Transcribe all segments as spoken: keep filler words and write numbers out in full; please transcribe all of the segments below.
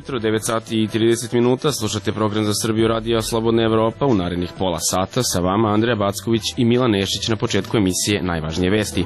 jutro, devet sati i trideset minuta, slušate program za Srbiju radija Slobodna Evropa. U narednih pola sata sa vama Andreja Backović i Milan Nešić na početku emisije Najvažnije vesti.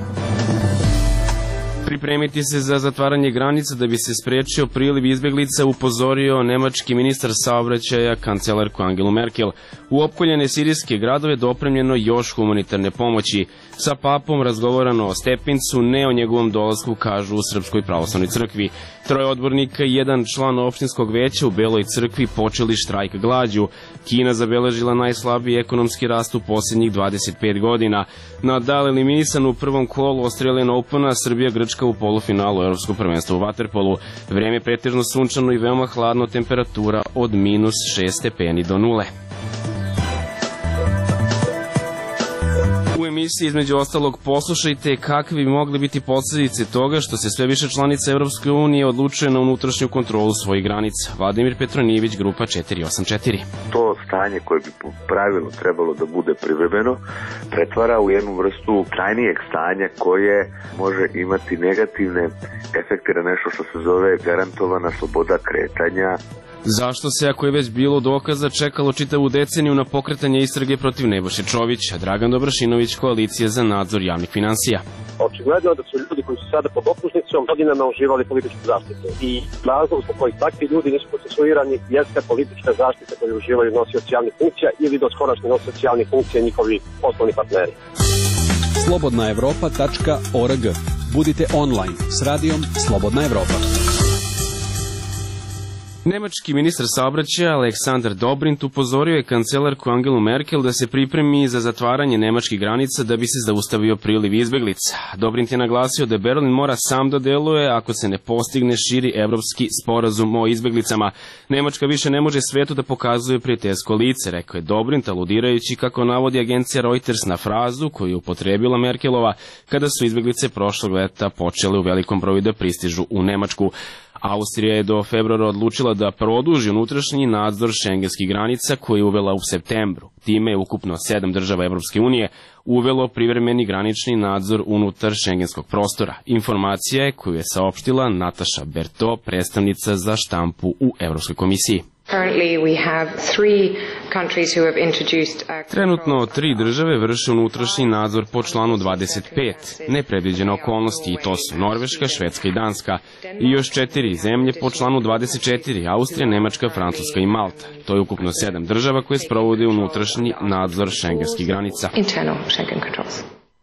Pripremiti se za zatvaranje granica da bi se sprečio priliv izbeglica, upozorio nemački ministar saobraćaja kancelarku Angelu Merkel. U opkoljene sirijske gradove dopremljeno još humanitarne pomoći. Sa papom razgovorano o Stepincu, ne o njegovom dolasku, kažu u Srpskoj pravoslavnoj crkvi. Troje odbornika i jedan član opštinskog veća u Beloj crkvi počeli štrajk glađu. Kina zabeležila najslabiji ekonomski rast u posljednjih dvadeset pet godina. Nadal eliminisan u prvom kolu Australian Opena, Srbija Grčka u polufinalu Evropskog prvenstva u vaterpolu. Vreme pretežno sunčano i veoma hladno, temperatura od minus šest stepeni do nule. U emisiji između ostalog poslušajte kakve bi mogle biti posljedice toga što se sve više članica Evropske unije odlučuje na unutrašnju kontrolu svojih granica. Vladimir Petronijević, Grupa četiri osam četiri. To stanje koje bi po pravilu trebalo da bude privremeno pretvara u jednu vrstu trajnijeg stanja koje može imati negativne efekte na nešto što se zove garantovana sloboda kretanja. Zašto se, ako je već bilo dokaza, čekalo čitavu deceniju na pokretanje istrage protiv Nebojše Čovića? Dragan Dobrašinović, Koalicija za nadzor javnih finansija. Očigledno je da su ljudi koji su sada pod optužnicom godinama uživali političku zaštitu. I razlog zbog kojih takvi ljudi nisu procesuirani jeste politička zaštita koju uživaju nosioci javnih funkcija ili doskorašnji nosioci javnih funkcija i njihovi poslovni partneri. slobodna evropa tačka org. Budite online s radijom Slobodna Evropa. Nemački ministar saobraćaja Aleksandar Dobrindt upozorio je kancelarku Angelu Merkel da se pripremi za zatvaranje nemačkih granica da bi se zaustavio priliv izbeglica. Dobrindt je naglasio da Berlin mora sam da deluje ako se ne postigne širi evropski sporazum o izbeglicama. Nemačka više ne može svetu da pokazuje prijateljsko lice, rekao je Dobrindt, aludirajući, kako navodi agencija Reuters, na frazu koju je upotrebila Merkelova kada su izbeglice prošlog leta počele u velikom broju da pristižu u Nemačku. Austrija je do februara odlučila da produži unutrašnji nadzor šengenskih granica koji je uvela u septembru. Time je ukupno sedam država Evropske unije uvelo privremeni granični nadzor unutar šengenskog prostora. Informacija je koju je saopštila Nataša Berto, predstavnica za štampu u Evropskoj komisiji. Trenutno tri države vrše unutrašnji nadzor po članu dvadeset pet. Nepredviđene okolnosti, i to su Norveška, Švedska i Danska. I još četiri zemlje po članu dvadeset četiri, Austrija, Nemačka, Francuska i Malta. To je ukupno sedam država koje sprovode unutrašnji nadzor šengenskih granica.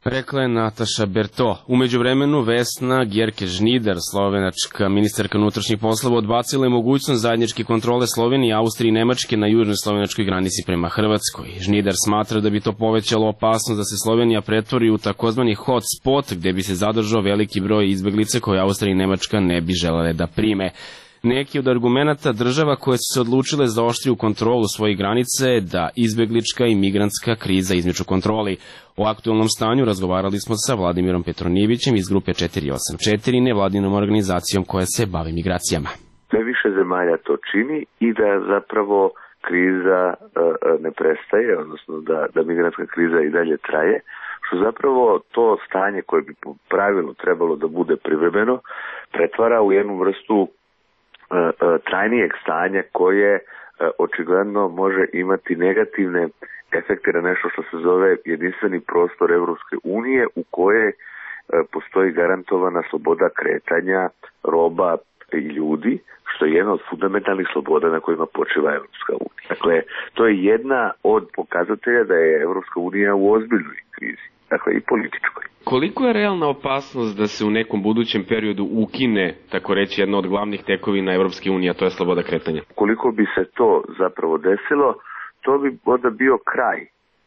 Rekla je Nataša Berto. U međuvremenu Vesna Gerke-Žnider, slovenačka ministarka unutrašnjih poslova, odbacila je mogućnost zajedničke kontrole Slovenije, Austrije i Nemačke na južnoj slovenačkoj granici prema Hrvatskoj. Žnider smatra da bi to povećalo opasnost da se Slovenija pretvori u takozvani hot spot gde bi se zadržao veliki broj izbeglica koje Austrija i Nemačka ne bi želele da prime. Neki od argumenata država koje su se odlučile za oštriju kontrolu svojih granica je da izbeglička i migrantska kriza izmiču kontroli. O aktualnom stanju razgovarali smo sa Vladimirom Petronijevićem iz Grupe četiri osam četiri, nevladinom organizacijom koja se bavi migracijama. Sve više zemalja to čini i da zapravo kriza e, ne prestaje, odnosno da, da migrantska kriza i dalje traje, što zapravo to stanje koje bi po pravilu trebalo da bude privremeno pretvara u jednu vrstu trajnijeg stanja koje očigledno može imati negativne efekte na nešto što se zove jedinstveni prostor Evropske unije u kojoj postoji garantovana sloboda kretanja roba i ljudi, što je jedna od fundamentalnih sloboda na kojima počiva Evropska unija. Dakle, to je jedna od pokazatelja da je Evropska unija u ozbiljnoj krizi, dakle i političkoj. Koliko je realna opasnost da se u nekom budućem periodu ukine, tako reći, jedna od glavnih tekovina Evropske unije, a to je sloboda kretanja? Koliko bi se to zapravo desilo, to bi onda bio kraj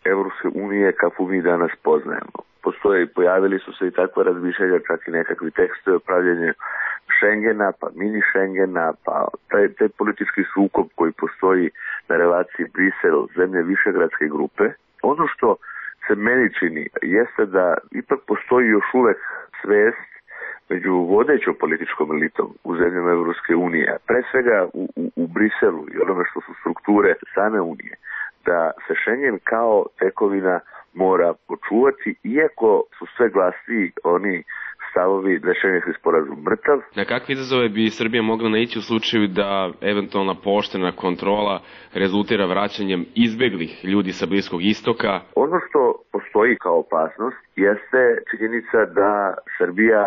Evropske unije kakvu mi danas poznajemo. Postoje i pojavili su se i takva razmišljanja, čak i nekakvi tekstovi o pravljenju Schengena, pa mini Schengena, pa taj, taj politički sukob koji postoji na relaciji Brisel, zemlje višegradske grupe. Ono što se meni čini jeste da ipak postoji još uvek svest među vodećom političkom elitom u zemljama Evropske unije, pre svega u, u, u Briselu i onome što su strukture same unije, da se Schengen kao tekovina mora počuvati, iako su sve glasniji oni stavovi da je Šengenski sporazum mrtav. Na kakve izazove bi Srbija mogla naići u slučaju da eventualna pooštrena kontrola rezultira vraćanjem izbeglih ljudi sa Bliskog istoka? Ono što postoji kao opasnost jeste činjenica da Srbija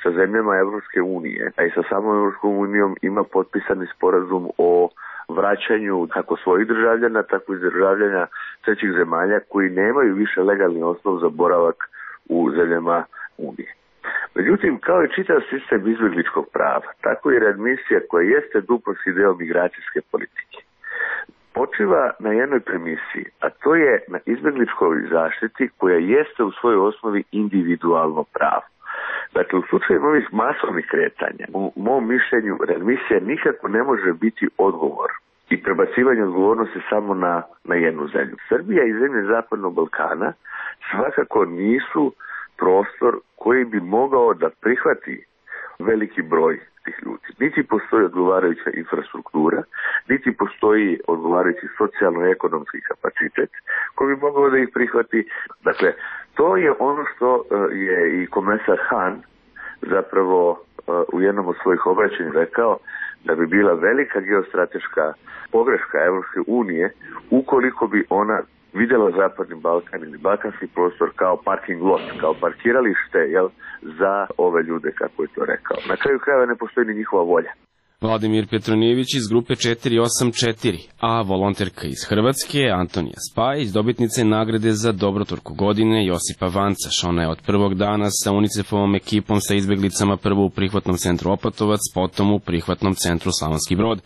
sa zemljama Evropske unije, a i sa samom Evropskom unijom ima potpisani sporazum o vraćanju kako svojih državljana, tako i državljana trećih zemalja koji nemaju više legalni osnov za boravak u zemljama Unije. Međutim, kao i čitav sistem izbjegličkog prava, tako i readmisija koja jeste duboki deo migracijske politike, počiva na jednoj premisiji, a to je na izbjegličkoj zaštiti koja jeste u svojoj osnovi individualno pravo. Dakle, u slučaju ovih masovnih kretanja, u mom mišljenju, readmisija nikako ne može biti odgovor i prebacivanje odgovornosti samo na, na jednu zemlju. Srbija i zemlje Zapadnog Balkana svakako nisu prostor koji bi mogao da prihvati veliki broj tih ljudi. Niti postoji odgovarajuća infrastruktura, niti postoji odgovarajući socijalno-ekonomski kapacitet koji bi mogao da ih prihvati. Dakle, to je ono što je i komesar Han zapravo u jednom od svojih obraćanja rekao, da bi bila velika geostrateška pogreška Evropske unije ukoliko bi ona vidjela Zapadni Balkan ili balkanski prostor kao parking lot, kao parkiralište, jel, za ove ljude, kako je to rekao. Na kraju krajeva ne postoji ni njihova volja. Vladimir Petronijević iz grupe četiri osam četiri, a volonterka iz Hrvatske Antonija Spajić, dobitnica je nagrade za dobrotvorku godine Josipa Vancaš. Ona je od prvog dana sa UNICEF-ovom ekipom sa izbeglicama prvo u prihvatnom centru Opatovac, potom u prihvatnom centru Slavonski Brod.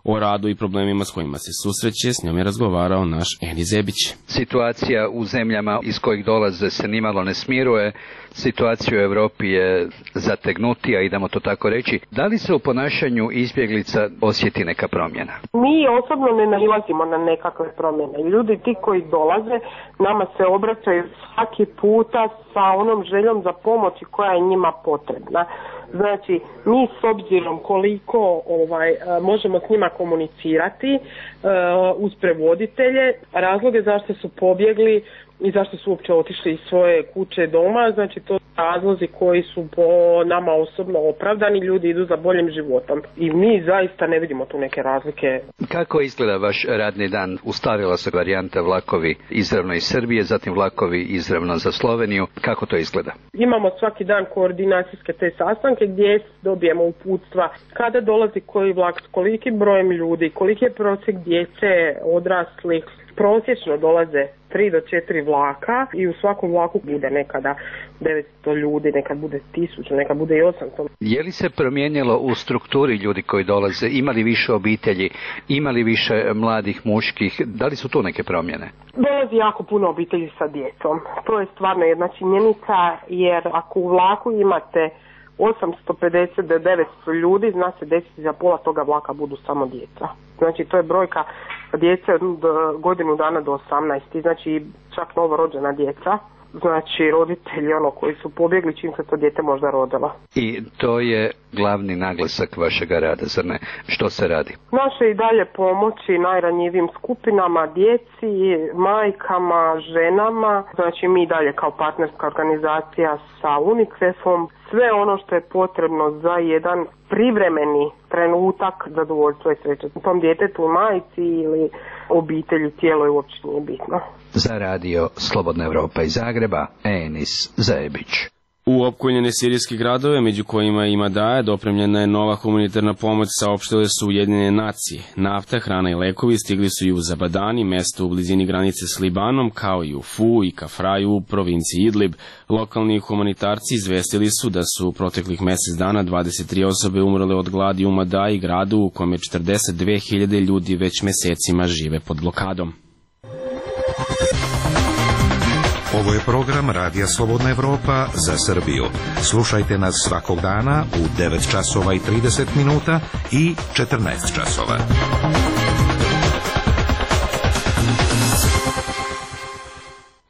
O radu i problemima s kojima se susreće, s njom je razgovarao naš Eni Zebić. Situacija u zemljama iz kojih dolaze se nimalo ne smiruje, situacija u Europi je zategnutija, idemo to tako reći. Da li se u ponašanju izbjeglica osjeti neka promjena? Mi osobno ne nailazimo na nekakve promjene. Ljudi ti koji dolaze nama se obraćaju svaki puta sa onom željom za pomoći koja je njima potrebna. Znači, mi s obzirom koliko ovaj, možemo s njima komunicirati uh, uz prevoditelje, razloge zašto su pobjegli i zašto su uopće otišli iz svoje kuće doma, znači to su razlozi koji su po nama osobno opravdani, ljudi idu za boljim životom i mi zaista ne vidimo tu neke razlike. Kako izgleda vaš radni dan? Ustarila se varijanta vlakovi izravno iz Srbije, zatim vlakovi izravno za Sloveniju, kako to izgleda? Imamo svaki dan koordinacijske te sastanke gdje dobijemo uputstva kada dolazi koji vlak s kolikim brojem ljudi, koliki je prosjek djece, odraslih. Prosječno dolaze tri do četiri vlaka i u svakom vlaku bude nekada devetsto ljudi, nekad bude tisuću, nekad bude i osamsto. Je li se promijenilo u strukturi ljudi koji dolaze? Imali više obitelji? Imali više mladih muških? Da li su tu neke promjene? Dolazi jako puno obitelji sa djecom. To je stvarno jedna činjenica, jer ako u vlaku imate osamsto pedeset do devetsto ljudi, zna se desiti za pola toga vlaka budu samo djeca. Znači to je brojka djece od godinu dana do osamnaest, znači čak novorođena djeca, znači roditelji ono koji su pobjegli čim se to dijete možda rodilo. I to je glavni naglasak vašega rada, zar ne? Što se radi? Naše i dalje pomoći najranjivijim skupinama, djeci, majkama, ženama, znači mi dalje kao partnerska organizacija sa UNICEF-om, sve ono što je potrebno za jedan privremeni trenutak zadovoljstva i sreće. Tom djetetu, majci ili obitelji, tijelo je uopće nije bitno. Za radio Slobodna Evropa iz Zagreba, Enis Zebić. U opkoljene sirijske gradove, među kojima i Madaja, dopremljena je nova humanitarna pomoć, saopštile su Ujedinjene nacije. Nafta, hrana i lekovi stigli su i u Zabadani, mesto u blizini granice s Libanom, kao i u Fu i Kafraju u provinciji Idlib. Lokalni humanitarci izvestili su da su u proteklih mjesec dana dvadeset tri osobe umrle od gladi u Madaji, gradu u kome četrdeset dve hiljade ljudi već mesecima žive pod blokadom. Ovo je program Radija Slobodna Evropa za Srbiju. Slušajte nas svakog dana u devet časova i trideset minuta i četrnaest časova.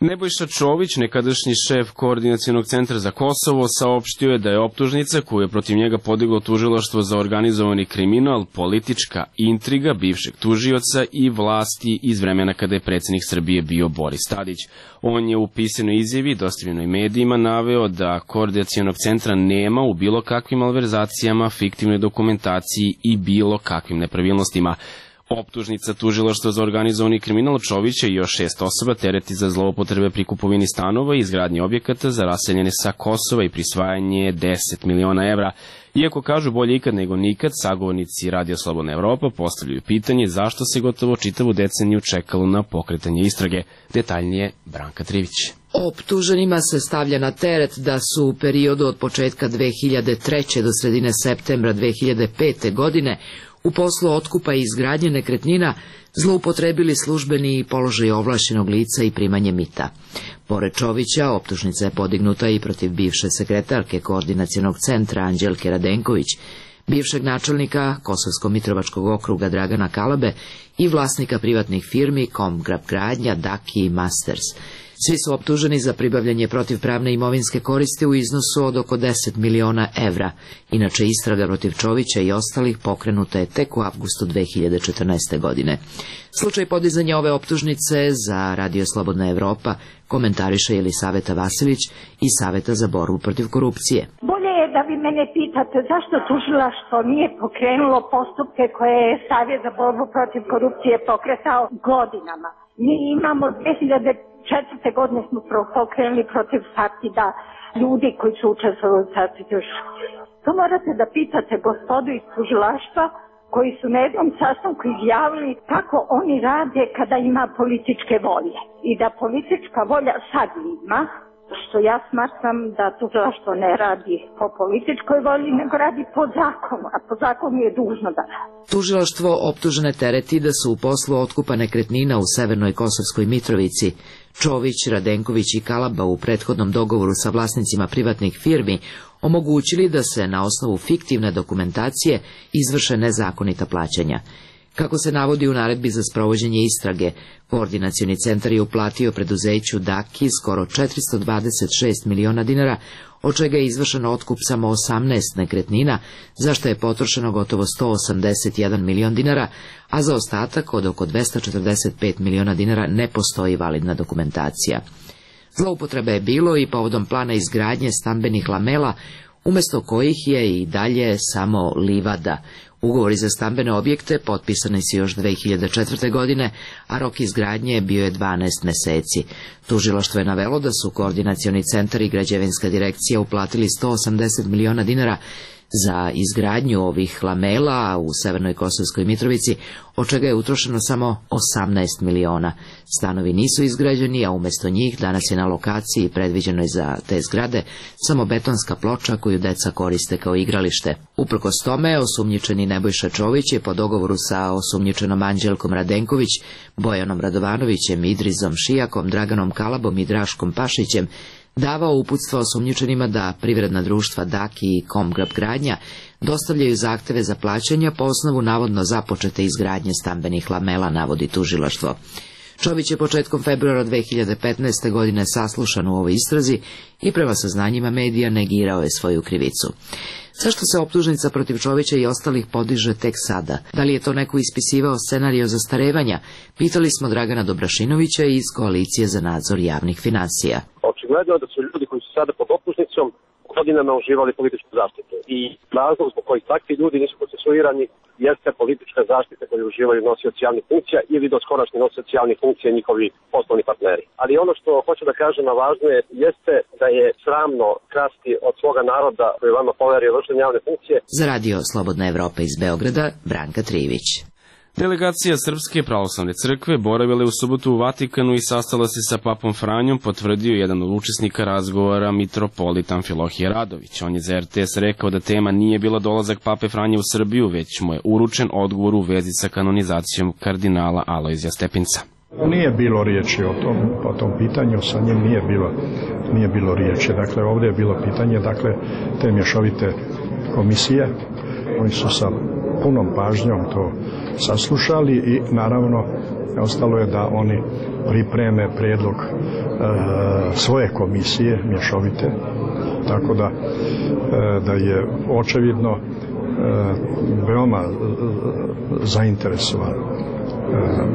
Nebojša Čović, nekadašnji šef Koordinacionog centra za Kosovo, saopštio je da je optužnica koju je protiv njega podiglo tužilaštvo za organizovani kriminal politička intriga bivšeg tužioca i vlasti iz vremena kada je predsjednik Srbije bio Boris Tadić. On je u pisanoj izjavi dostavljenoj medijima naveo da Koordinacionog centra nema u bilo kakvim malverzacijama, fiktivnoj dokumentaciji i bilo kakvim nepravilnostima. Optužnica tužilaštva za organizovani kriminal Čovića i još šest osoba tereti za zloupotrebe pri kupovini stanova i izgradnji objekata za raseljene sa Kosova i prisvajanje deset miliona evra. Iako kažu bolje ikad nego nikad, sagovornici Radio Slobodna Evropa postavljaju pitanje zašto se gotovo čitavu deceniju čekalo na pokretanje istrage. Detaljnije Branka Trivić. Optuženima se stavlja na teret da su u periodu od početka dve hiljade treće. do sredine septembra dve hiljade pete. godine u poslu otkupa i izgradnje nekretnina zloupotrebili službeni položaj ovlašćenog lica i primanje mita. Pored Čovića, optužnica je podignuta i protiv bivše sekretarke Koordinacionog centra Anđelke Radenković, bivšeg načelnika Kosovsko-Mitrovačkog okruga Dragana Kalabe i vlasnika privatnih firmi Komgrab Gradnja, Daki i Masters. Svi su optuženi za pribavljanje protivpravne imovinske koristi u iznosu od oko deset miliona evra. Inače, istraga protiv Čovića i ostalih pokrenuta je tek u avgustu dve hiljade četrnaeste. godine. Slučaj podizanja ove optužnice za Radio Slobodna Evropa komentariše Jelisaveta Vasilić iz Saveta za borbu protiv korupcije. Bolje je da vi mene pitate zašto tužilaštvo nije pokrenulo postupke koje je Savjet za borbu protiv korupcije pokretao godinama. Mi imamo dve hiljade četvrte. godine smo pokrenuli protiv Sartida ljudi koji su učestvovali u Sartidu. To morate da pitate gospodu iz tužilaštva koji su na jednom sastanku izjavili kako oni rade kada ima političke volje. I da politička volja sad ima, što ja smatram da tužilaštvo ne radi po političkoj volji, nego radi po zakonu, a po zakonu je dužno da radi. Tužilaštvo optužene tereti da su u poslu otkupa nekretnina u severnoj Kosovskoj Mitrovici Čović, Radenković i Kalaba u prethodnom dogovoru sa vlasnicima privatnih firmi omogućili da se na osnovu fiktivne dokumentacije izvrše nezakonita plaćanja. Kako se navodi u naredbi za sprovođenje istrage, Koordinacioni centar je uplatio preduzeću Daki skoro četiristo dvadeset šest miliona dinara, od čega je izvršen otkup samo osamnaest nekretnina, za što je potrošeno gotovo sto osamdeset jedan milion dinara, a za ostatak od oko dvesta četrdeset pet miliona dinara ne postoji validna dokumentacija. Zloupotrebe je bilo i povodom plana izgradnje stambenih lamela, umjesto kojih je i dalje samo livada. Ugovori za stambene objekte potpisani su još dve hiljade četvrte. godine, a rok izgradnje bio je dvanaest meseci. Tužilaštvo je navelo da su Koordinacioni centar i Građevinska direkcija uplatili sto osamdeset miliona dinara za izgradnju ovih lamela u severnoj Kosovskoj Mitrovici, od čega je utrošeno samo osamnaest miliona. Stanovi nisu izgrađeni, a umjesto njih danas je na lokaciji predviđenoj za te zgrade samo betonska ploča koju deca koriste kao igralište. Uprkos tome, osumnjičeni Nebojša Čović je po dogovoru sa osumnjičenom Anđelkom Radenković, Bojanom Radovanovićem, Idrizom Šijakom, Draganom Kalabom i Draškom Pašićem davao uputstva osumnjičenima da privredna društva Daki i Komgrab Gradnja dostavljaju zahteve za plaćanja po osnovu navodno započete izgradnje stambenih lamela, navodi tužilaštvo. Čović je početkom februara dve hiljade petnaeste. godine saslušan u ovoj istrazi i prema saznanjima medija negirao je svoju krivicu. Zašto se optužnica protiv Čovića i ostalih podiže tek sada? Da li je to neko ispisivao scenario zastarevanja? Pitali smo Dragana Dobrašinovića iz Koalicije za nadzor javnih finansija. Očigledno je da su ljudi koji su sada pod optužnicom godinama uživali političku zaštitu. I razlog zbog kojih takvi ljudi nisu procesuirani jeste politička zaštita koju uživaju nosioci javnih funkcija ili doskorašnji nosioci javnih funkcija njihovi poslovni partneri. Ali ono što hoću da kažem, a važno je, jeste da je sramno krasti od svoga naroda koji vama poverio vršenje javne funkcije. Za Radio Slobodna Evropa iz Beograda, Branka Trivić. Delegacija Srpske pravoslavne crkve boravila je u subotu u Vatikanu i sastala se sa papom Franjom, potvrdio jedan od učesnika razgovora mitropolit Amfilohije Radović. On je za R T S rekao da tema nije bila dolazak pape Franje u Srbiju, već mu je uručen odgovor u vezi sa kanonizacijom kardinala Alojzija Stepinca. Nije bilo riječi o tom, o tom pitanju, sa njim nije bilo, nije bilo riječi. Dakle, ovdje je bilo pitanje, dakle, te mješovite komisije, oni su sa punom pažnjom to saslušali i naravno ostalo je da oni pripreme prijedlog e, svoje komisije mješovite, tako da, e, da je očevidno e, veoma e, zainteresovan e,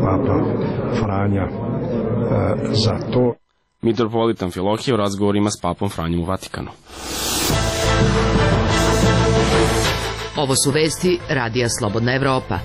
Papa Franja e, za to. Mitropolitan Amfilohije u razgovorima s papom Franjom u Vatikanu. Ovo su vesti Radija Slobodna Evropa.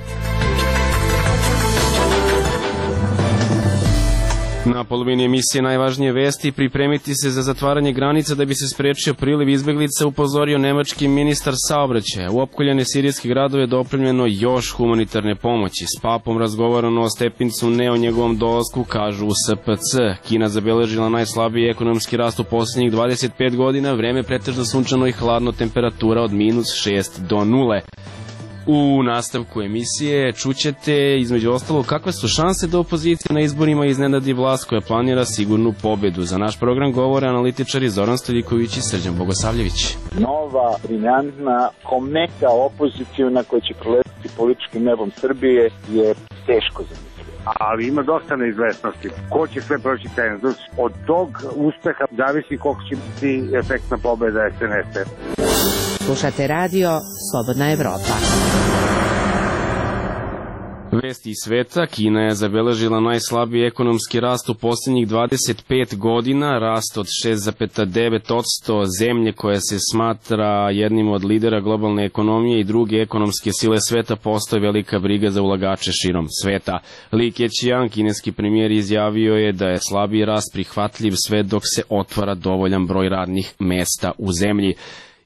Na polovini emisije najvažnije vesti: pripremiti se za zatvaranje granica da bi se sprečio priliv izbeglica, upozorio nemački ministar saobraćaja. U opkoljene sirijske gradove je dopremljeno još humanitarne pomoći. S papom razgovarano o Stepincu, ne o njegovom dolasku, kažu u S P C. Kina zabeležila najslabiji ekonomski rast u posljednjih dvadeset pet godina, vreme pretežno sunčano i hladno, temperatura od minus šest do nule. U nastavku emisije čućete između ostalo kakve su šanse da opozicija na izborima iznenadi vlast koja planira sigurnu pobedu. Za naš program govore analitičari Zoran Stoljiković i Srđan Bogosavljević. Nova, briljantna, kometa opozicijuna koja će proletiti političkim nebom Srbije je teško zamisliti. Ali ima dosta neizvesnosti. Ko će sve proći cenzus? Od tog uspeha zavisi koliko će biti efektna pobeda S N S-a. Slušate radio Slobodna Evropa. Vesti iz sveta: Kina je zabeležila najslabiji ekonomski rast u posljednjih dvadeset pet godina, rast od šest zarez devet posto. Zemlje koja se smatra jednim od lidera globalne ekonomije i druge ekonomske sile sveta postoje velika briga za ulagače širom sveta. Li Keqiang, kineski premijer, izjavio je da je slabiji rast prihvatljiv sve dok se otvara dovoljan broj radnih mesta u zemlji.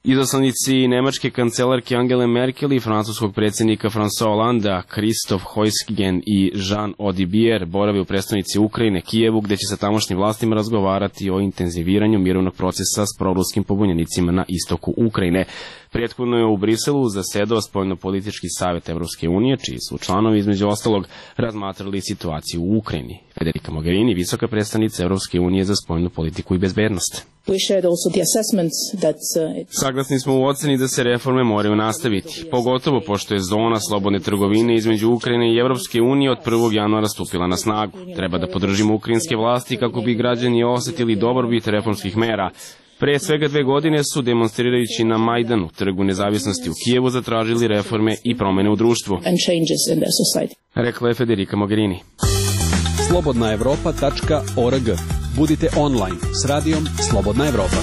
Izaslanici nemačke kancelarke Angele Merkel i francuskog predsjednika François Hollanda, Christophe Heusgen i Jean Audibier, borave u prestonici Ukrajine, Kijevu, gdje će sa tamošnjim vlastima razgovarati o intenziviranju mirovnog procesa s proruskim pobunjenicima na istoku Ukrajine. Prethodno je u Briselu zasedao spoljnopolitički savjet Evropske unije, čiji su članovi između ostalog razmatrali situaciju u Ukrajini. Federica Mogherini, visoka predstavnica Evropske unije za spoljnu politiku i bezbednost. Saglasni smo u oceni da se reforme moraju nastaviti, pogotovo pošto je zona slobodne trgovine između Ukrajine i Evropske unije od prvog januara stupila na snagu. Treba da podržimo ukrajinske vlasti kako bi građani osjetili dobrobit reformskih mera. Pre svega dve godine su, demonstrirajući na Majdanu, trgu nezavisnosti u Kijevu, zatražili reforme i promene u društvu, rekla je Federica Mogherini. slobodna evropa tačka org. Budite online s radijom Slobodna Evropa.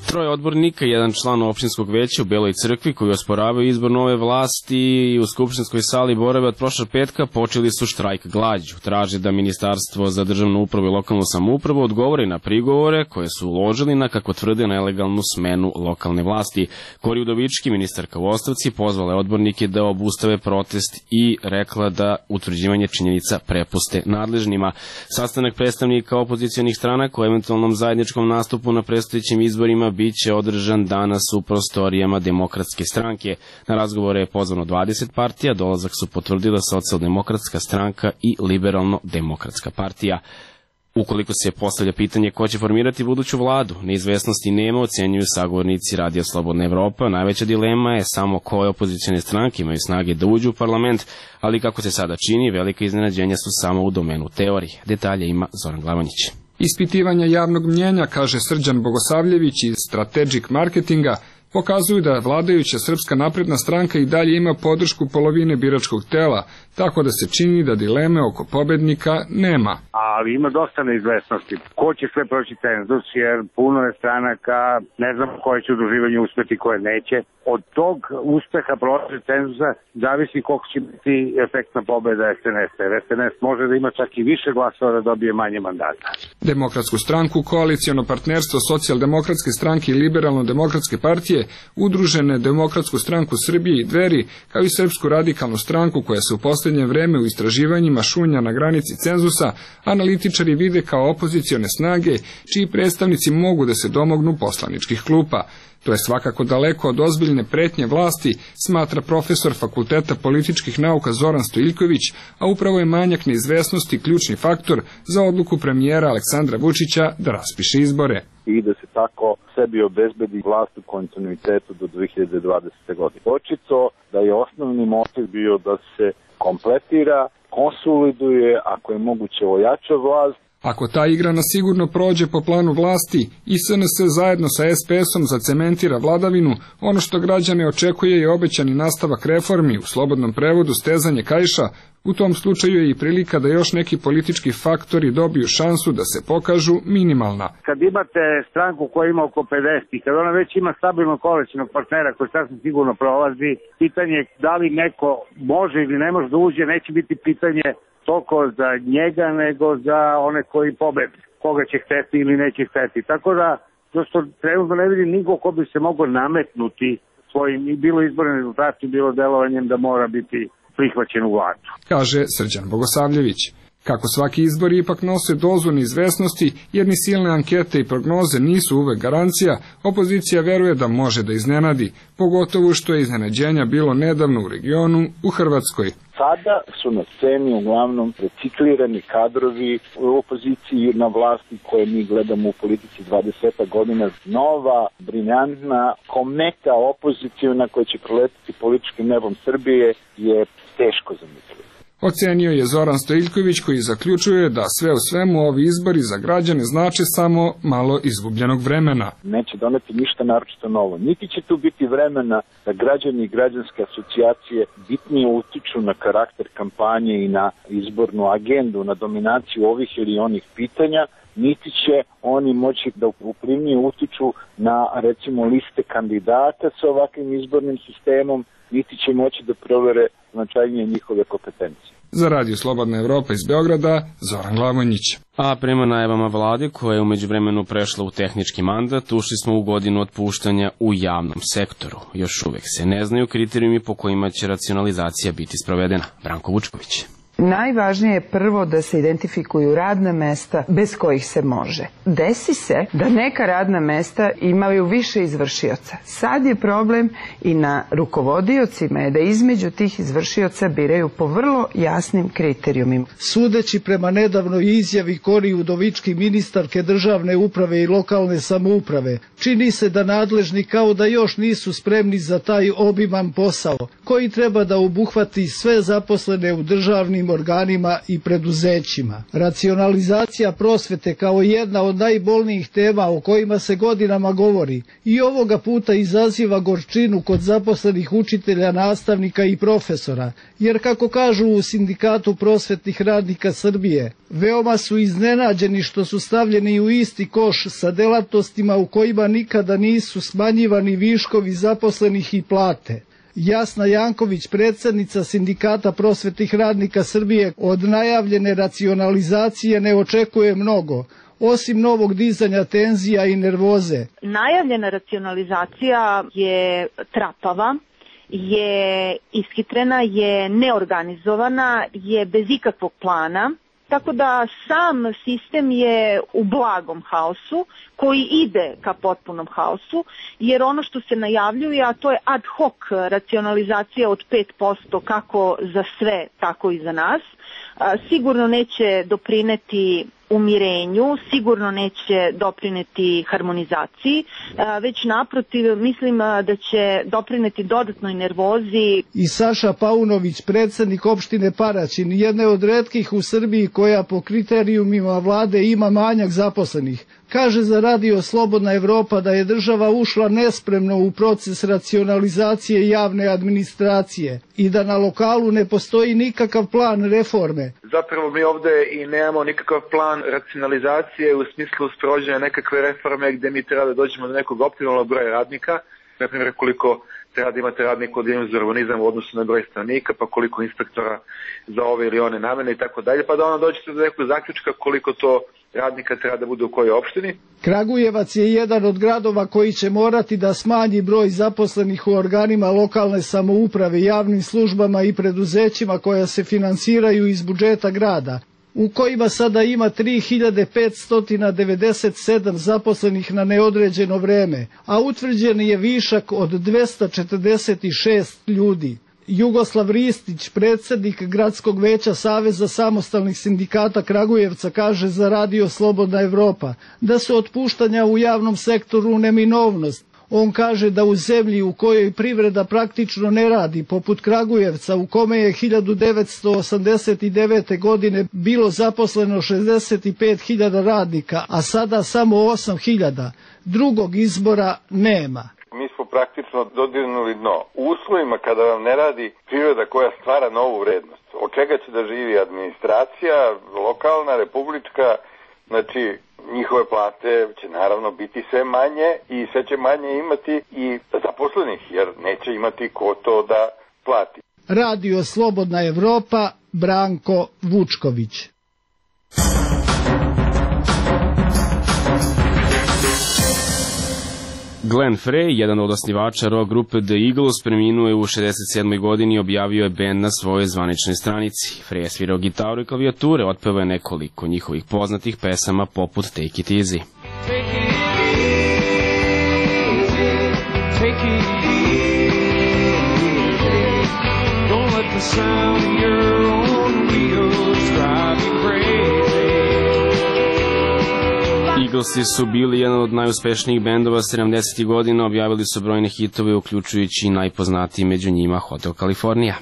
Troje odbornika i jedan član opštinskog veća u Beloj Crkvi koji osporavaju izbor nove vlasti u skupštinskoj sali borave od prošlog petka počeli su štrajk glađu. Traže da Ministarstvo za državnu upravu i lokalnu samoupravu odgovori na prigovore koje su uložili na, kako tvrde, nelegalnu smenu lokalne vlasti. Kori Udovički, ministarka u ostavci, pozvala je odbornike da obustave protest i rekla da utvrđivanje činjenica prepuste nadležnima. Sastanak predstavnika opozicionih stranaka o eventualnom zajedničkom nastupu na predstojećim izborima biće održan danas u prostorijama Demokratske stranke. Na razgovore je pozvano dvadeset partija, dolazak su potvrdila Socijaldemokratska stranka i Liberalno-demokratska partija. Ukoliko se postavlja pitanje ko će formirati buduću vladu, neizvesnosti nema, ocenjuju sagovornici Radija Slobodna Evropa. Najveća dilema je samo koje opozicione stranke imaju snage da uđu u parlament, ali kako se sada čini, velika iznenađenja su samo u domenu teorije. Detalje ima Zoran Glavanić. Ispitivanja javnog mnjenja, kaže Srđan Bogosavljević iz Strategic Marketinga, pokazuju da vladajuća Srpska napredna stranka i dalje ima podršku polovine biračkog tela, tako da se čini da dileme oko pobednika nema. Ali ima dosta neizvesnosti. Ko će sve proći cenzus, jer puno je stranaka, ne znam koje će udruživanje uspeti, koje neće. Od tog uspeha proći cenzusa zavisi koliko će biti efektna pobeda S N S-a. S N S može da ima čak i više glasova da dobije manje mandata. Demokratsku stranku, koalicijono partnerstvo Socijaldemokratske stranke i Liberalno-demokratske partije, udružene Demokratsku stranku Srbije i Dveri, kao i Srpsku radikalnu stranku koja se u posljednje vreme u istraživanjima šunja na granici cenzusa analitičari vide kao opozicione snage čiji predstavnici mogu da se domognu poslaničkih klupa. To je svakako daleko od ozbiljne pretnje vlasti, smatra profesor Fakulteta političkih nauka Zoran Stojiljković, a upravo je manjak neizvesnosti ključni faktor za odluku premijera Aleksandra Vučića da raspiše izbore. I da se tako sebi obezbedi vlast u kontinuitetu do dve hiljade dvadesete. godine. Očito da je osnovni motiv bio da se kompletira, konsoliduje, ako je moguće ojača vlast. Ako ta igra na sigurno prođe po planu vlasti i S N S zajedno sa S P S-om zacementira vladavinu, ono što građane očekuje je obećani nastavak reformi, u slobodnom prevodu stezanje kaiša. U tom slučaju je i prilika da još neki politički faktori dobiju šansu da se pokažu minimalna. Kad imate stranku koja ima oko pedeset i kad ona već ima stabilnog koalicionog partnera koji sasvim sigurno prolazi, pitanje da li neko može ili ne može da uđe neće biti pitanje toliko za njega nego za one koji pobede, koga će hteti ili neće hteti. Tako da, prosto trenutno ne vidim niko ko bi se mogao nametnuti svojim, bilo izbornim rezultatima, bilo delovanjem da mora biti prihvaćen u vladu, kaže Srđan Bogosavljević. Kako svaki izbor ipak nose dozu neizvesnosti, jer ni silne ankete i prognoze nisu uvek garancija, opozicija veruje da može da iznenadi, pogotovo što je iznenađenja bilo nedavno u regionu, u Hrvatskoj. Sada su na sceni uglavnom reciklirani kadrovi u opoziciji na vlasti koje mi gledamo u politici dvadeset godina. Nova, briljantna, kometa opozicijona koja će proletiti političkim nebom Srbije je teško zamisliti. Ocenio je Zoran Stojiljković koji zaključuje da sve u svemu ovi izbori za građane znače samo malo izgubljenog vremena. Neće doneti ništa naročito novo. Niti će tu biti vremena da građani i građanske asocijacije bitnije utiču na karakter kampanje i na izbornu agendu, na dominaciju ovih ili onih pitanja, niti će oni moći da uplivnije utiču na, recimo, liste kandidata sa ovakvim izbornim sistemom, niti će moći da provere značajnije njihove kompetencije. Za Radio Slobodna Evropa iz Beograda, Zoran Glavonjić. A prema najavama vlade, koja je u međuvremenu prešla u tehnički mandat, ušli smo u godinu otpuštanja u javnom sektoru. Još uvek se ne znaju kriterijumi po kojima će racionalizacija biti sprovedena. Branko Vučković. Najvažnije je prvo da se identifikuju radna mesta bez kojih se može. Desi se da neka radna mesta imaju više izvršioca. Sad je problem i na rukovodiocima je da između tih izvršioca biraju po vrlo jasnim kriterijumima. Sudeći prema nedavnoj izjavi Kori Udovički, ministarke državne uprave i lokalne samouprave, čini se da nadležni kao da još nisu spremni za taj obiman posao, koji treba da obuhvati sve zaposlene u državnim organima i preduzećima. Racionalizacija prosvete kao jedna od najbolnijih tema o kojima se godinama govori i ovoga puta izaziva gorčinu kod zaposlenih učitelja, nastavnika i profesora, jer kako kažu u Sindikatu prosvetnih radnika Srbije, veoma su iznenađeni što su stavljeni u isti koš sa delatnostima u kojima nikada nisu smanjivani viškovi zaposlenih i plate. Jasna Janković, predsjednica Sindikata prosvetnih radnika Srbije, od najavljene racionalizacije ne očekuje mnogo, osim novog dizanja tenzija i nervoze. Najavljena racionalizacija je trapava, je ishitrena, je neorganizovana, je bez ikakvog plana. Tako da sam sistem je u blagom haosu koji ide ka potpunom haosu, jer ono što se najavljuje, a to je ad hoc racionalizacija od pet posto kako za sve, tako i za nas, sigurno neće doprineti umirenju, sigurno neće doprineti harmonizaciji, već naprotiv mislim da će doprineti dodatnoj nervozi. I Saša Paunović, predsjednik opštine Paraćin, jedne od retkih u Srbiji koja po kriterijumima vlade ima manjak zaposlenih, kaže za Radio Slobodna Evropa da je država ušla nespremno u proces racionalizacije javne administracije i da na lokalu ne postoji nikakav plan reforme. Zapravo mi ovde i nemamo nikakav plan racionalizacije u smislu sprovođenja nekakve reforme gde mi treba da dođemo do nekog optimalnog broja radnika, na primjer koliko treba da imate radnika od jednog za urbanizam u odnosu na broj stanovnika, pa koliko inspektora za ove ili one namene i tako dalje, pa da ono dođete do nekog zaključka koliko to radnika treba da bude u kojoj opštini. Kragujevac je jedan od gradova koji će morati da smanji broj zaposlenih u organima lokalne samouprave, javnim službama i preduzećima koja se finansiraju iz budžeta grada, u kojima sada ima tri hiljade petsto devedeset sedam zaposlenih na neodređeno vreme, a utvrđen je višak od dvesta četrdeset šest ljudi. Jugoslav Ristić, predsjednik Gradskog veća Saveza samostalnih sindikata Kragujevca, kaže za Radio Slobodna Evropa da su otpuštanja u javnom sektoru neminovnost. On kaže da u zemlji u kojoj privreda praktično ne radi, poput Kragujevca, u kome je hiljadu devetsto osamdeset devete. godine bilo zaposleno šezdeset pet hiljada radnika, a sada samo osam hiljada, drugog izbora nema. Mi smo praktično dodirnuli dno. U uslovima kada vam ne radi privreda koja stvara novu vrednost, od čega će da živi administracija, lokalna, republička, znači njihove plate će naravno biti sve manje i sve će manje imati i zaposlenih, jer neće imati ko to da plati. Radio Slobodna Evropa, Branko Vučković. Glenn Frey, jedan od osnivača rock grupe The Eagles, preminuo je u šezdeset sedmoj godini i objavio je bend na svojoj zvaničnoj stranici. Frey je svirao gitaru i klavijature, otpevao je nekoliko njihovih poznatih pesama poput Take It Easy. Take it easy, take it easy, don't let the sound of your own wheels drive you crazy. Eaglesi su bili jedan od najuspešnijih bendova sedamdesetih godina, objavili su brojne hitove, uključujući i najpoznatiji među njima Hotel California.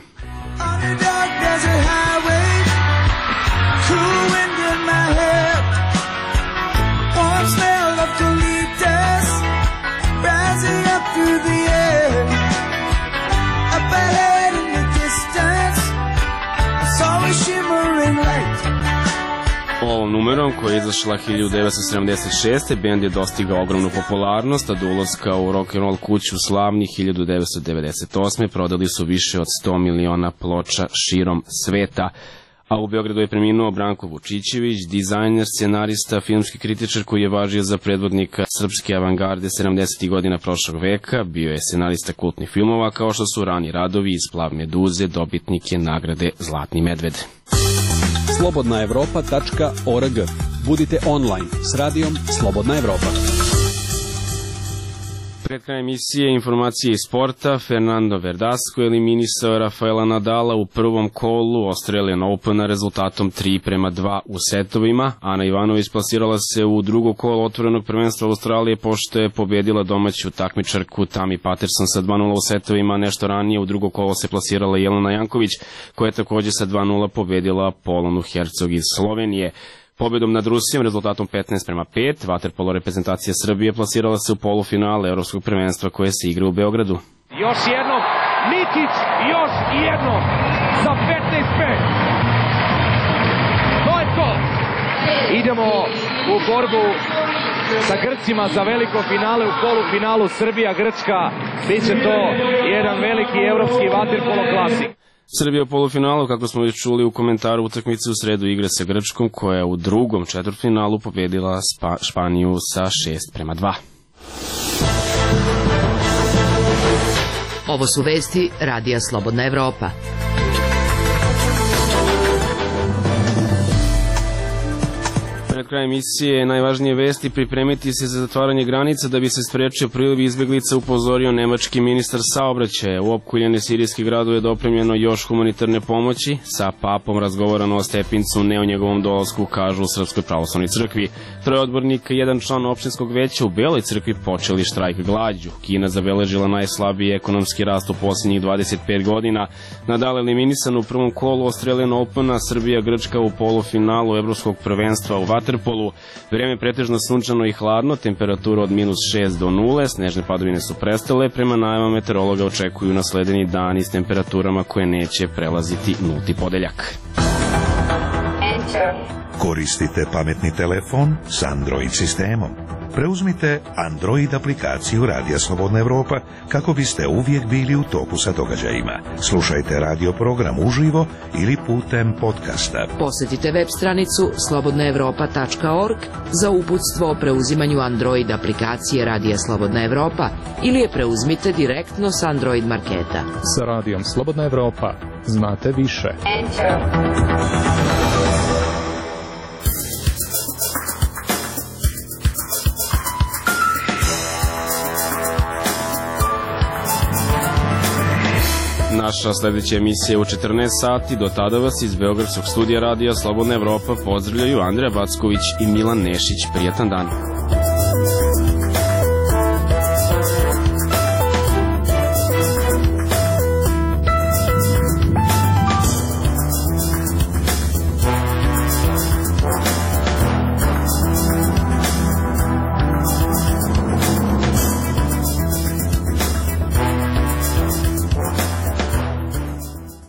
Ovom numerom, koja je izašla hiljadu devetsto sedamdeset šeste. bend je dostigao ogromnu popularnost, a do ulaska u rock'n'roll kuću slavnih hiljadu devetsto devedeset osme. prodali su više od sto miliona ploča širom sveta. A u Beogradu je preminuo Branko Vučićević, dizajner, scenarista, filmski kritičar koji je važio za predvodnika srpske avangarde sedamdesetih godina prošlog veka. Bio je scenarista kultnih filmova kao što su Rani radovi iz Plav meduze, dobitnik je nagrade Zlatni medved. slobodna evropa tačka org. Budite online s radijom Slobodna Evropa. Pred krajem emisije informacije iz sporta. Fernando Verdasco eliminisao Rafaela Nadala u prvom kolu Australian Opena rezultatom tri prema dva u setovima. Ana Ivanović plasirala se u drugo kolo otvorenog prvenstva Australije pošto je pobedila domaću takmičarku Tammy Patterson sa dva nula u setovima. Nešto ranije u drugo kolo se plasirala Jelena Janković, koja je takođe sa dva nula pobedila Polonu Hercog iz Slovenije. Pobedom nad Rusijom, rezultatom petnaest prema pet, vaterpolo reprezentacija Srbije plasirala se u polufinale Evropskog prvenstva koje se igra u Beogradu. Još jednom, Nikić, još jednom, za petnaest pet. To je to. Idemo u borbu sa Grcima za veliko finale u polufinalu Srbija-Grčka. Biće to jedan veliki evropski vaterpolo klasik. Srbija u polufinalu, kako smo već čuli u komentaru utakmice, u sredu igra sa Grčkom, koja je u drugom četvrtfinalu pobedila Spa, Španiju sa šest prema dva. Ovo su vesti Radija Slobodna Evropa. Pred krajem emisije najvažnije vesti: pripremiti se za zatvaranje granica da bi se sprečio priliv izbeglica, upozorio nemački ministar saobraćaja. U opkoljene sirijski gradu je dopremljeno još humanitarne pomoći. Sa papom razgovarano o Stepincu, ne o njegovom dolasku, kažu u Srpskoj pravoslavnoj crkvi. Troje odbornika i jedan član opštinskog veća u Beloj crkvi počeli štrajk glađu. Kina zabeležila najslabiji ekonomski rast u posljednjih dvadeset pet godina. Nadal eliminisan u prvom kolu Australian Opena, Srbija Grčka u polufinalu Evropskog prvenstva u vaterpolu. Vreme pretežno sunčano i hladno, temperatura od minus šest do nule, snežne padavine su prestale, prema najavama meteorologa očekuju nasledeni dani s temperaturama koje neće prelaziti nulti podeljak. Koristite pametni telefon s Android sistemom? Preuzmite Android aplikaciju Radija Slobodna Evropa kako biste uvijek bili u toku sa događajima. Slušajte radio program uživo ili putem podcasta. Posjetite web stranicu slobodna evropa tačka org za uputstvo o preuzimanju Android aplikacije Radija Slobodna Evropa ili je preuzmite direktno s Android marketa. Sa Radijom Slobodna Evropa znate više. Naša sljedeća emisija je u četrnaest sati. Do tada vas iz Beogradskog studija Radija Slobodna Evropa pozdravljaju Andreja Backović i Milan Nešić. Prijatan dan.